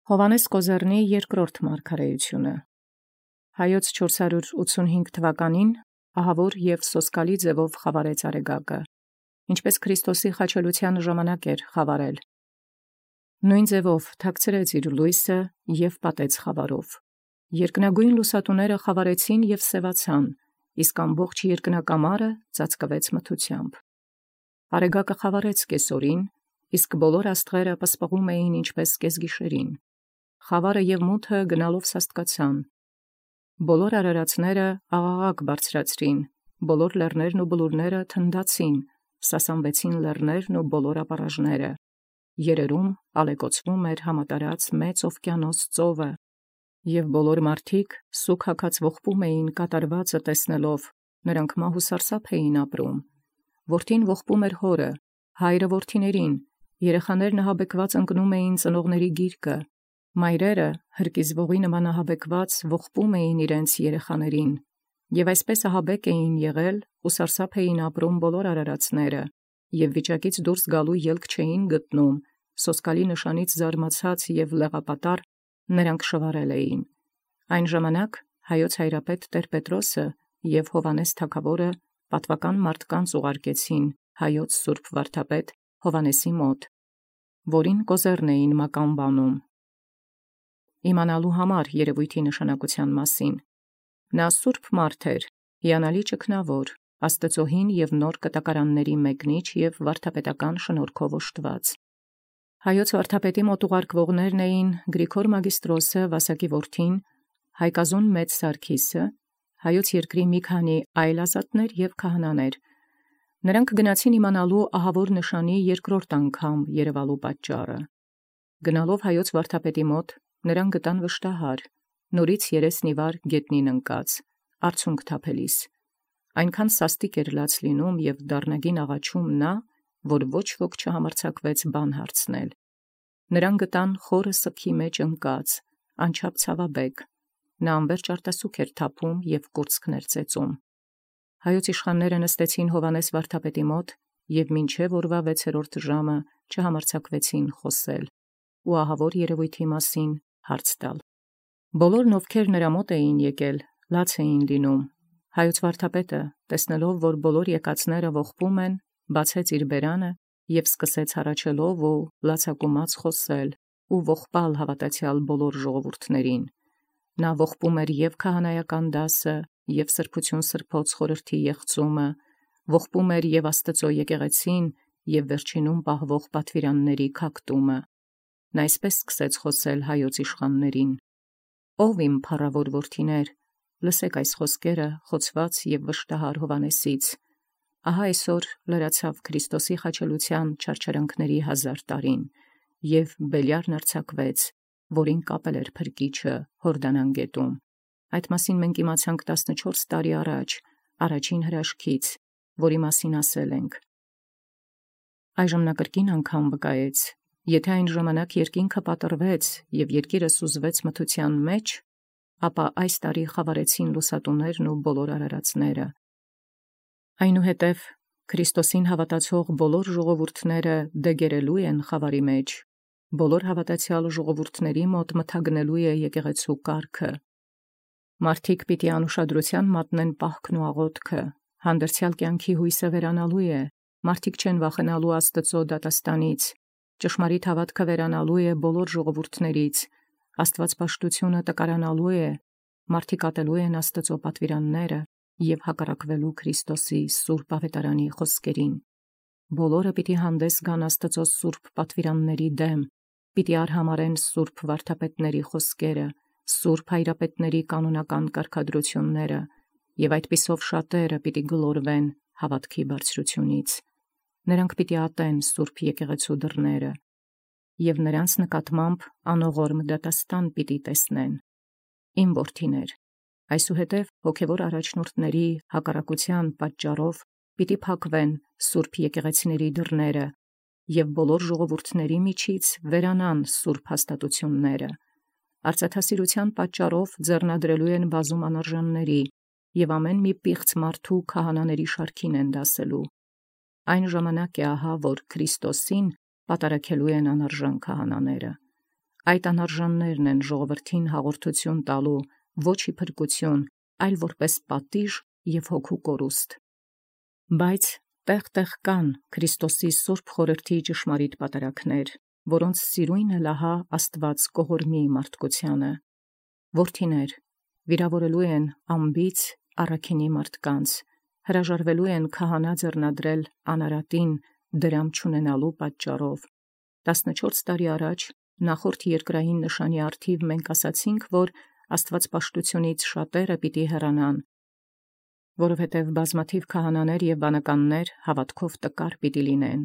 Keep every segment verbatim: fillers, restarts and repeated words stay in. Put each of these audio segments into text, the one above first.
Հովհաննես Կոզեռնի երկրորդ մարգարեությունը։ Հայոց չորսսուն և հինգ թվականին ահավոր և սոսկալի ձևով խավարեց արեգակը, ինչպես Քրիստոսի խաչելութեան ժամանակ էր խավարել. նոյն ձևով թաքցրեց իր լոյսը և պատեց խավարով. երկնագոյն լուսատուները խավարեցին և սևացան, իսկ ամբողջ երկնակամարը ծածկվեց մթութեամբ։ Արեգակը խավարեց կեսօրին, իսկ բոլոր աստղերը պսպղում էին ինչպես կեսգիշերին։ Խավարը և մութը գնալով սաստկացան։ Բոլոր արարածները աղաղակ բարձրացրին, բոլոր լեռներն ու բլուրները թնդացին, սասանվեցին լեռներն ու բոլոր ապառաժները։ Երերում ալեկոծվում էր համատարած մեծ օվկիանոս ծովը, և բոլոր մարդիկ սուգ հագած ողբում էին կատարվածը տեսնելով, նրանք մահ ու սարսափ էին ապրում։ Որդին ողբում էր հորը, հայրը որդիներին, երեխաներն ահաբեկված ընկնում էին ծնողների գիրկը, մայրերը հրկիզվողի նման ահաբեկված ողբում էին իրենց երեխաներին, և այսպես ահաբեկ էին եղել ու սարսափ էին ապրում բոլոր արարածները, և վիճակից դուրս գալու ելք չէին գտնում, սոսկալի նշանից զարմացած և լեղապատառ նրանք շվարել էին։ Այն ժամանակ հայոց հայրապետ Տեր-Պետրոսը և Հովհաննես թագաւորը պատվական մարդկանց ուղարկեցին հայոց սուրբ վարդապետ Հովհաննեսի մոտ, որին Կոզեռն էին մականվանում, իմանալու համար երևոյթի նշանակութեան մասին։ Նա սուրբ մարդ էր, հիանալի ճգնաւոր, Աստուծոյ հին և նոր կտակարանացն մեկնիչ և վարդապետական շնորհքով օժտված։ Հայոց վարդապետի մոտ ուղարկվողներն էին Գրիգոր Մագիստրոսը Վասակի որդին, Հայկազուն մեծ Սարգիսը, հայոց երկրի մի քանի այլ ազատներ և քահանաներ։ Նրանք գնացին իմանալու ահավոր նշանի երկրորդ անգամ երևալու պատճառը։ Գնալով հայոց վարդապետի մոտ, նրանք գտան վշտահար, նորից երեսն ի վար գետնին ընկած, արցունք թափելիս։ Այնքան սաստիկ էր լաց լինում և դառնագին աղաչում նա, որ ոչ ոք չհամարձակվեց բան հարցնել։ Նրան գտան խորը սգի մեջ ընկած, անչափ ցավաբեկ, նա անվերջ արտասուք էր թափում և կուրծքներ ծեծում։ Հայոց իշխանները նստեցին Հովհաննես վարդապետի մոտ և մինչև օրվա վեցերորդ ժամը չհամարձակվեցին խոսել ու ահավոր երևոյթի մասին հարց տալ։ Բոլորն, ովքեր նրա մոտ էին եկել, լաց էին լինում։ Հայոց վարդապետը, տեսնելով, որ բոլոր եկածները ողբում են, բացեց իր բերանը և սկսեց հառաչելով ու լացակումած խոսել ու ողբալ հավատացյալ բոլոր ժողովուրդներին։ Նա ողբում էր և քահանայական դասը, և սրբություն սրբոց խորհրդի եղծումը, ողբում էր և Աստուծոյ եկեղեցին, և վերջինում պահվող պատվիրանների քակտումը։ Նա այսպես սկսեց խոսել հայոց իշխաններին. «Ո՛վ իմ փառաւոր որդիներ, լսեք այս խոսքերը խոցված և վշտահար Հովհաննեսից. ահա այսօր լրացավ Քրիստոսի խաչելութեան չարչարանքների հազար տարին, և Բելիարն արձակվեց, որին կապել էր փրկիչը Յորդանան գետում։ Այդ մասին մենք իմացանք տասնչորս տարի առաջ, առաջին հրաշքից, որի մասին ասել ենք»։ Այժմ նա կրկին անգամ վկայեց. «Եթե այն ժամանակ երկինքը պատռվեց և երկիրը սուզվեց մթութեան մեջ, ապա այս տարի խավարեցին լուսատուներն ու բոլոր արարածները»։ Այնուհետև Քրիստոսին հավատացող բոլոր ժողովուրդները դեգերելու են խավարի մեջ, բոլոր հավատացյալ ժողովուրդների մոտ մթագնելու է եկեղեցու կարգը։ Մարդիկ պիտի անուշադրութեան մատնեն պահքն ու աղոթքը, հանդերձյալ կյանքի հույսը վերանալու է, մարդիկ չեն վախենալու Աստուծոյ դատաստանից, ճշմարիտ հաւատքը վերանալու է բոլոր ժողովուրդներից, աստուածպաշտությունը տկարանալու է, մարդիկ ատելու են Աստուծոյ պատվիրանները և հակառակվելու Քրիստոսի սուրբ աւետարանի խոսքերին։ Բոլորը պիտի հանդես գան Աստուծոյ սուրբ պատվիրանների դեմ, պիտի արհամարեն սուրբ վարդապետների խոսքերը, սուրբ հայրապետների կանոնական կարգադրությունները, և այդպիսով շատերը պիտի գլորվեն հաւատքի բարձրութիւնից։ Նրանք պիտի ատեն սուրբ եկեղեցու դռները, և նրանց նկատմամբ անողորմ դատաստան պիտի տեսնեն։ Իմ որդիներ, այսուհետև հոգևոր առաջնորդների հակառակութեան պատճառով պիտի փակվեն սուրբ եկեղեցիների դռները, և բոլոր ժողովուրդների միջից վերանան սուրբ հաստատութիւնները։ Արծաթասիրութեան պատճառով ձեռնադրելու են բազում անարժանների, և ամեն մի պիղծ մարդու քահանաների շարքին են դասելու։ Այն ժամանակ է ահա, որ Քրիստոսին պատարագելու են անարժան քահանաները։ Այդ անարժաններն են ժողովրդին հաղորդություն տալու, ոչ ի փրկություն, այլ որպես պատիժ և հոգու կորուստ։ Բայց տեղ տեղ կան Քրիստոսի սուրբ խորհրդի ճշմարիտ պատարագներ, որոնց սիրույնը լահա Աստված կողորմի մարդկությանը։ Որդիներ, վիրավորելու են անբիծ առաքինի մարդկանց, հրաժարվելու են քահանա ձեռնադրել անարատին դրամ չունենալու պատճառով։ Տասնչորս տարի առաջ նախորդ երկրային նշանի առթիվ մենք ասացինք, որ աստվածպաշտությունից շատերը պիտի հեռանան, որովհետև բազմաթիվ քահանաներ և բանականներ հավատքով տկար պիտի լինեն,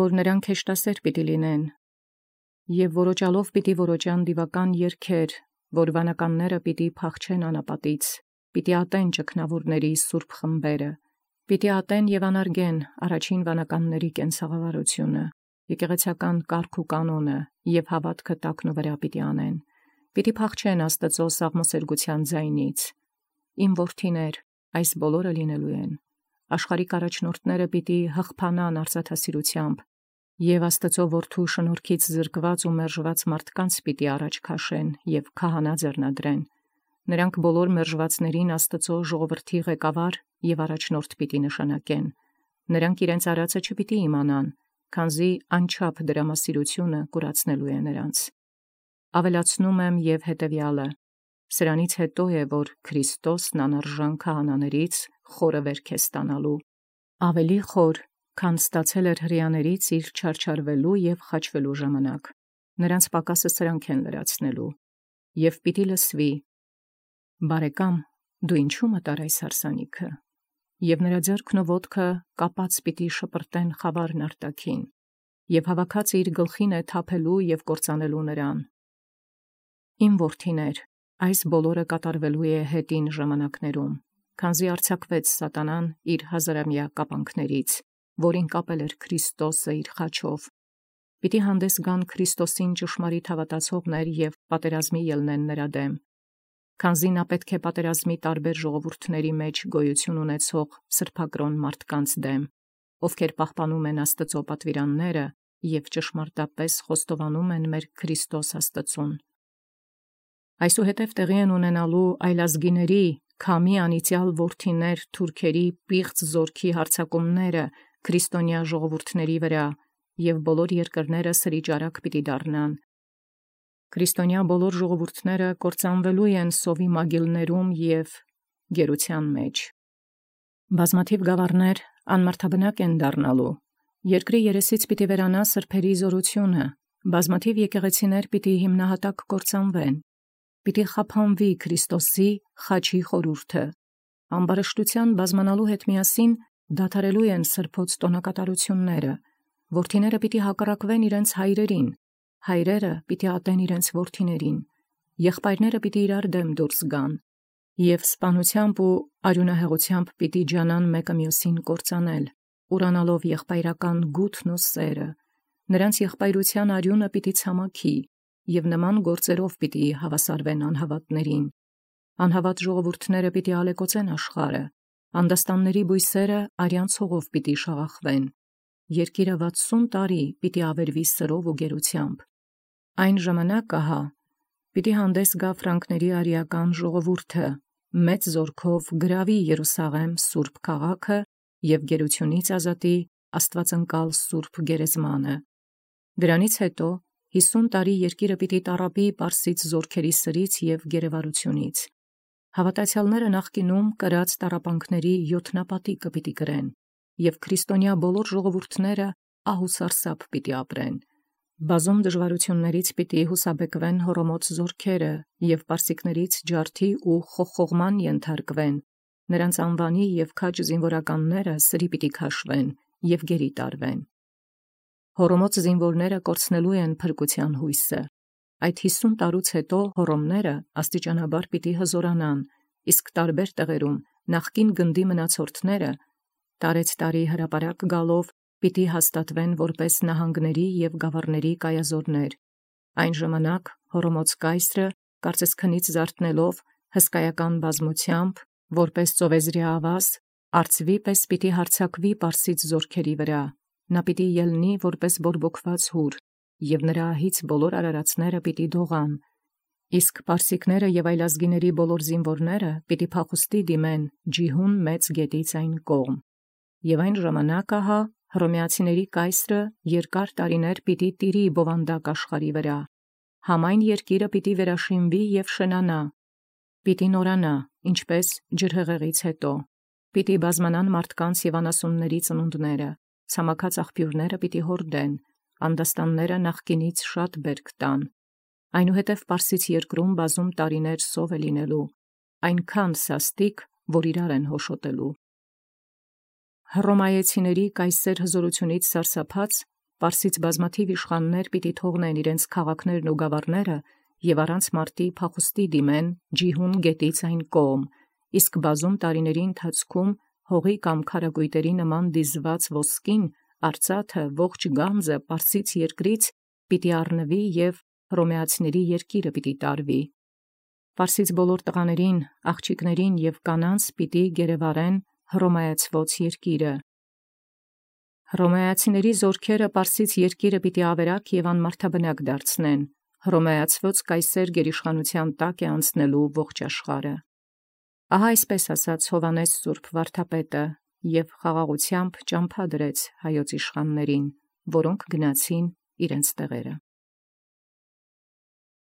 որ նրանք հեշտասեր պիտի լինեն, և որոճալով պիտի որոճան դիվական երգեր, որ վանականները պիտի փախչեն անապատից, պիտի ատեն ճգնավորների սուրբ խմբերը, պիտի ատեն և անարգեն առաջին վանականների կենցաղավարությունը, եկեղեցական կարգ ու կանոնը և հավատքը տակնու վրա պիտի անեն, պիտի փախչեն Աստծո սաղմոսերգության ձայնից։ Իմ որդիներ, այս բոլորը լինելու են։ Աշխարհիկ առաջնորդները պիտի հղբանան արծաթասիրությամբ, և Աստծո որդու շնորհքից զրկված ու մերժված մարդկանց պիտի առաջ քաշեն և քահանա ձեռնադրեն։ Նրանք բոլոր մերժվածներին Աստծո ժողովրդի ղեկավար և առաջնորդ պիտի նշանակեն։ Նրանք իրենց արածը չպիտի իմանան, քանզի անչափ դրամասիրությունը կուրացնելու է նրանց։ Ավելացնում եմ և հետևյալը. սրանից հետո է, որ Քրիստոսն անարժան քահանաներից խորը վերք է ստանալու, ավելի խոր, քան ստացել էր հրեաներից իր չարչարվելու և խաչվելու ժամանակ։ Նրանց պակասը սրանք են լրացնելու, և պիտի լսվի. «Բարեկամ, դու ինչու մտար այս հարսանիքը», և նրա ձեռքն ու ոտքը կապած պիտի շպրտեն խավարն արտաքին, և հավաքածը իր գլխին է թափելու և կործանելու նրան։ Իմ որդիներ, այս բոլորը կատարվելու է հետին ժամանակներում, քանզի արձակվեց սատանան իր հազարամյա կապանքներից, որին կապել էր Քրիստոսը իր խաչով։ Պիտի հանդես գան Քրիստոսին ճշմարիտ հավատացողներ և պատերազմի ելնեն նրա դեմ, քանզի նա պետք է պատերազմի տարբեր ժողովուրդների մեջ գոյություն ունեցող սրբակրոն մարդկանց դեմ, ովքեր պահպանում են Աստծո պատվիրանները և ճշմարտապես խոստովանում են մեր Քրիստոս Աստծուն։ Այսուհետև տեղի են ունենալու այլազգիների, քամի անիծյալ որդիներ թուրքերի պիղծ զորքի հարձակումները քրիստոնյա ժողովուրդների վրա, և բոլոր երկրները սրիճարակ պիտի դառնան։ Քրիստոնյա բոլոր ժողովուրդները կործանվելու են սովի մագիլներում և գերության մեջ։ Բազմաթիվ գավառներ անմարդաբնակ են դառնալու, երկրի երեսից պիտի վերանա սրբերի զորությունը, բազմաթիվ եկեղեցիներ պիտի հիմնահատակ կործանվեն, պիտի խափանվի Քրիստոսի խաչի խորհուրդը, ամբարշտության բազմանալու հետ միասին դադարելու են սրբոց տոնակատարությունները, որդիները պիտի հակառակվեն իրենց հայրերին, հայրերը պիտի ատեն իրենց որդիներին, եղբայրները պիտի իրար դեմ դուրս գան, և սպանությամբ ու արյունահեղությամբ պիտի ջանան մեկը մյուսին կործանել, ուրանալով եղբայրական գութն ու սերը, նրանց եղբայրության արյունը պիտի ցամաքի, և նման գործերով պիտի հավասարվեն անհավատներին։ Անհավատ ժողովուրդները պիտի ալեկոծեն աշխարհը, անդաստանների բույսերը արյան ցողով պիտի շաղախվեն, երկիրը վաթսուն տարի պիտի ավերվի սրով ու գերությամբ։ Այն ժամանակ ահա պիտի հանդես գա ֆրանկների արիական ժողովուրդը, մեծ զորքով գրավի Երուսաղեմ սուրբ քաղաքը և գերությունից ազատի աստվածընկալ սուրբ գերեզմանը։ Դրանից հետո հիսուն տարի երկիրը պիտի տառապի պարսից զորքերի սրից և գերեվարությունից։ Հավատացյալները նախկինում կրած տառապանքների յոթնապատիկը պիտի կրեն, և քրիստոնյա բոլոր ժողովուրդները ահ ու սարսափ պիտի ապրեն։ Բազում դժվարություններից պիտի հուսաբեկվեն հորոմոց զորքերը և պարսիկներից ջարդի ու խոխողման ենթարկվեն, նրանց անվանի և քաջ զինվորականները սրի պիտի քաշվեն և գերի տարվեն։ Հորոմոց զինվորները կորցնելու են փրկության հույսը։ Այդ հիսուն տարուց հետո հորոմները աստիճանաբար պիտի հզորանան, իսկ տարբեր տեղերում նախկին գնդի մնացորդները տարեցտարի հրապարակ գալով պիտի հաստատվեն որպես նահանգների և գավառների կայազորներ։ Այն ժամանակ հորոմոց կայսրը, կարծես քնից զարթնելով, հսկայական բազմությամբ, որպես ծովեզրի ավազ, արծվի պես պիտի հարձակվի պարսից զորքերի վրա, նա պիտի ելնի որպես բորբոքված հուր, և նրա ահից բոլոր արարածները պիտի դողան, իսկ պարսիկները և այլազգիների բոլոր զինվորները պիտի փախուստի դիմեն ջիհուն մեծ գետից այն կողմ։ Եւ այն ժամանակ ահա հռոմեացիների կայսրը երկար տարիներ պիտի տիրի բովանդակ աշխարհի վրա, համայն երկիրը պիտի վերաշինվի և շնանա, պիտի նորանա, ինչպես ջրհեղեղից հետո, պիտի բազմանան մարդկանց և անասունների ծնունդները, ցամաքած աղբյուրները պիտի հորդեն, անդաստանները նախկինից շատ բերք տան, այնուհետև Պարսից երկրում բազում տարիներ սով է լինելու, այնքան սաստիկ, որ իրար են հոշոտելու։ Հռոմայեցիների կայսեր հզորությունից սարսափած, Պարսից բազմաթիվ իշխաններ պիտի թողնեն իրենց քաղաքներն ու գավառները և առանց մարտի փախուստի դիմեն ջիհուն գետից այն կողմ, իսկ բազում տարիների ընթացքում հողի կամ քարակույտերի նման դիզված ոսկին, արծաթը, ողջ գանձը Պարսից երկրից պիտի առնվի և հռոմեացիների երկիրը պիտի տարվի։ Պարսից բոլոր տղաներին, աղջիկներին և կանանց պիտի գերեվարեն հռոմայացված երկիրը։ Հռոմայացիների զորքերը Պարսից երկիրը պիտի ավերակ և անմարդաբնակ դարձնեն, հռոմայացված կայսեր գերիշխանության տակ է անցնելու ողջ աշխարհը։ Ահա այսպես ասաց Հովհաննես սուրբ վարդապետը և խաղաղությամբ ճամփա դրեց հայոց իշխաններին, որոնք գնացին իրենց տեղերը։